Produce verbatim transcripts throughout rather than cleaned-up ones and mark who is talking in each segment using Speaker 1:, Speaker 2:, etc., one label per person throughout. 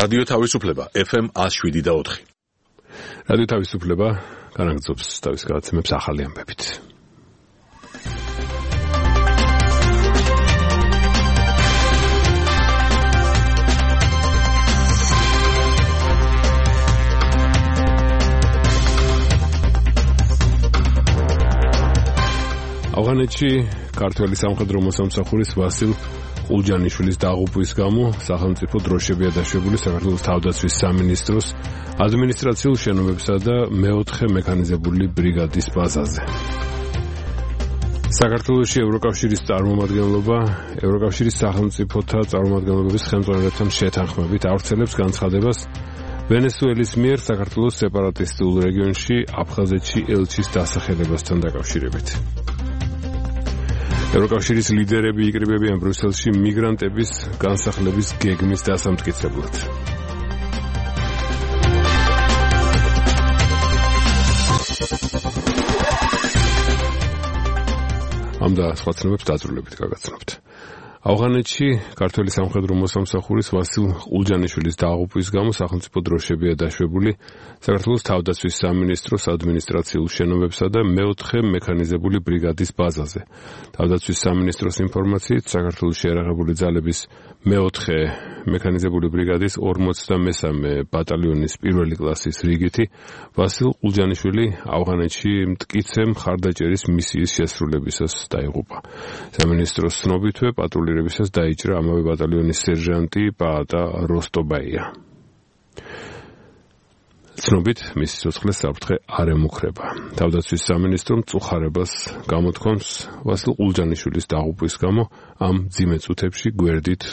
Speaker 1: რადიო თავისუფლება ეფ ემ one oh seven და four.
Speaker 2: რადიო თავისუფლება განაგრძობს თავის გადაცემებს ახალი ამბებით. ავღანეთში ქართველი სამხედრო მოსამსახურის ვასილ ყულჯანიშვილის დაღუპვის გამო სახელმწიფო დროშებია დაშვებული საქართველოს თავდაცვის სამინისტროს ადმინისტრაციულ შენობებსა და მეოთხე მექანიზებული ბრიგადის ბაზაზე. საქართველოში ევროკავშირის წარმომადგენლობა ევროკავშირის სახელმწიფოთა წარმომადგენლობების ხელმძღვანელებთან შეთანხმებით ავრცელებს განცხადებას ვენესუელის მიერ საქართველოს სეპარატისტულ რეგიონში აფხაზეთში ელჩის დასახელებასთან დაკავშირებით. ევროკავშირის ლიდერები იკრიბებიან ბრიუსელში მიგრანტების განსახლების გეგმის დასამტკიცებლად. ამ და სხვა ცნობებს დაწვრილებით გაგაცნობთ. ავღანეთში ქართველი სამხედრო მოსამსახურის ვასილ ყულჯანიშვილის დაღუპვის გამო სახელმწიფო დროშებია დაშვებული საქართველოს თავდაცვის სამინისტროს ადმინისტრაციულ შენობებსა და მეოთხე მექანიზებული ბრიგადის ბაზაზე. თავდაცვის სამინისტროს ინფორმაციით საქართველოს შეიარაღებული ძალების მეოთხე მექანიზებული ბრიგადის ორმოცდამესამე ბატალიონის პირველი კლასის რიგითი ვასილ ყულჯანიშვილი ავღანეთში მტკიცე მხარდაჭერის მისიის შესრულებისას დაიღუპა. სამინისტროს ცნობითვე პატრულირებისას დაიჭრა ამავე ბატალიონის სერჟანტი პაატა როსტობაია. ცნობით მის სიცოცხლეს საფრთხე არ ემუქრება. თავდაცვის სამინისტრომ წუხარებას გამოთქვამს ვასილ ყულჯანიშვილის დაღუპვის გამო ამ მძიმე წუთებში გვერდით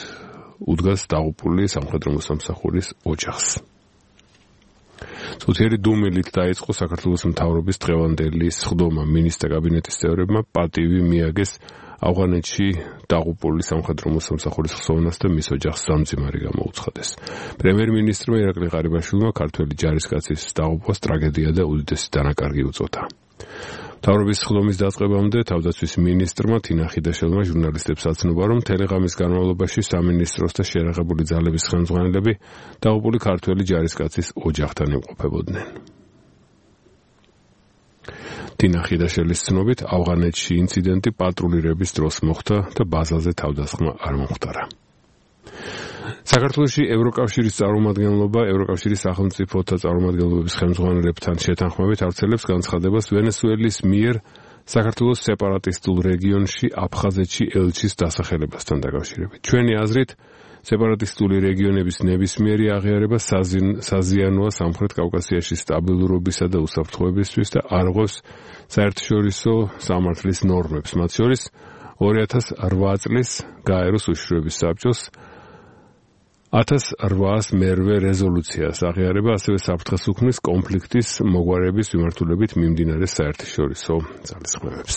Speaker 2: უდგას დაღუპული სამხედრო მოსამსახურის ოჯახს. წუთიერი დუმილით დაიწყო საქართველოს მთავრობის დღევანდელი სხდომა. მინისტრთა კაბინეტის წევრებმა პატივი მიაგეს ავღანეთში დაღუპული სამხედრო მოსამსახურის ხსოვნას და მის ოჯახს სამძიმარი გამოუცხადეს. პრემიერ-მინისტრმა ირაკლი ყარიბაშვილმა ქართველი ჯარისკაცის დაღუპვას ტრაგედია და უდიდესი დანაკარგი უწოდა. მთავრობის სხდომის დაწყებამდე თავდაცვის მინისტრმა თინა ხიდაშელმა ჟურნალისტებს აცნობა, რომ თელეღამის განმავლობაში სამინისტროს და შეიარაღებული ძალების ხელმძღვანელები დაღუპული ქართველი ჯარისკაცის ოჯახთან იმყოფებოდნენ. თინა ხიდაშელის ცნობით ავღანეთში ინციდენტი პატრულირების დროს მოხდა და ბაზაზე თავდასხმა არ მომხდარა. საქართველოში ევროკავშირის წარმომადგენლობა ევროკავშირის სახელმწიფოთა წარმომადგენლობების ხელმძღვანელებთან შეთანხმებით ავრცელებს განცხადებას ვენესუელის მიერ საქართველოს სეპარატისტულ რეგიონში აფხაზეთში ელჩის დასახელებასთან დაკავშირებით. ჩვენი აზრით სეპარატისტული რეგიონების ნებისმიერი აღიარება საზიანოა სამხრეთ კავკასიაში სტაბილურობისა და უსაფრთხოებისთვის და არ ღვევს საერთაშორისო სამართლის ნორმებს, მათ შორის ორი ათას რვა წლის გაეროს უშიშროების საბჭოს ათას რვაას მერვე რეზოლუციას აღიარება, ასევე საფრთხეს უქმნის კონფლიქტის მოგვარების მიმართულებით მიმდინარე საერთაშორისო ძალისხმევებს.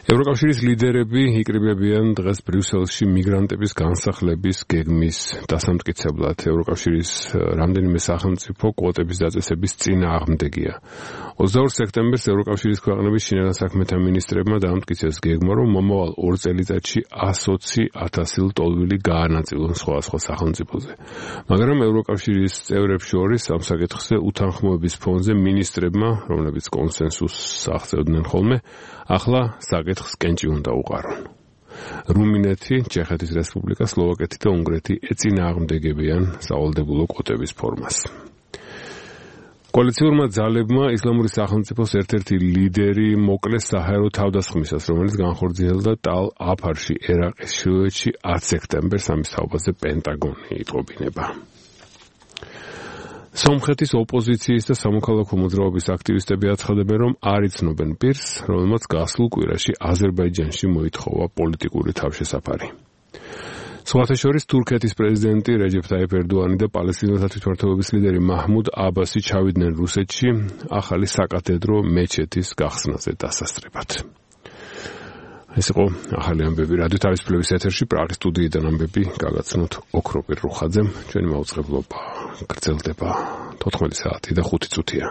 Speaker 2: ევროკავშირის ლიდერები იკრიბებიან დღეს ბრიუსელში მიგრანტების განსახლების გეგმის დასამტკიცებლად. ევროკავშირის რამდენიმე სახელმწიფო კვოტების დაწესების წინააღმდეგია. ოცდაორ სექტემბერს ევროკავშირის ქვეყნების შინაგან საქმეთა მინისტრებმა დაამტკიცეს გეგმა, რომ მომავალ ორ წელიწადში ათი ათასი ლტოლვილი გაანაწილონ სხვადასხვა სახელმწიფოზე. მაგრამ ევროკავშირის წევრებს შორის ამ საკითხზე უთანხმოების ფონზე მინისტრებმა, რომლებიც კონსენსუსს აღწევდნენ ხოლმე, ახლა საკითხს კენჭი უნდა უყარონ. რუმინეთი, ჩეხეთის რესპუბლიკა, სლოვაკეთი და უნგრეთი ეწინააღმდეგებიან სავალდებულო კვოტების ფორმას. კოალიციურმა ძალებმა ისლამური სახელმწიფოს ერთ-ერთი ლიდერი მოკლეს საჰაერო თავდასხმისას, რომელიც განხორციელდა ტალ-აფარში, ერაყის ჩრდილოეთში ათი სექტემბერს. ამის თაობაზე პენტაგონი იტყობინება. სომხეთის ოპოზიციის და სამოქალაქო მოძრაობის აქტივისტები აცხადებენ, რომ არ იცნობენ პირს, რომელმაც გასულ კვირაში აზერბაიჯანში მოითხოვა პოლიტიკური თავშესაფარი. სხვათა შორის თურქეთის პრეზიდენტი რეჯეფ ტაიპ ერდოანი და პალესტინელთა თვითმმართველობის ლიდერი მაჰმუდ აბასი ჩავიდნენ რუსეთში ახალი საკათედრო მეჩეთის გახსნაზე დასასწრებად. ეს იყო ახალი ამბები რადიო თავისუფლების ეთერში პრაღის სტუდიიდან ამბები გაგაცნოთ ოქროპირ რუხაძემ. ჩვენი მაუწყებლობა გრძელდება თოთხმეტი საათი და ხუთი წუთია.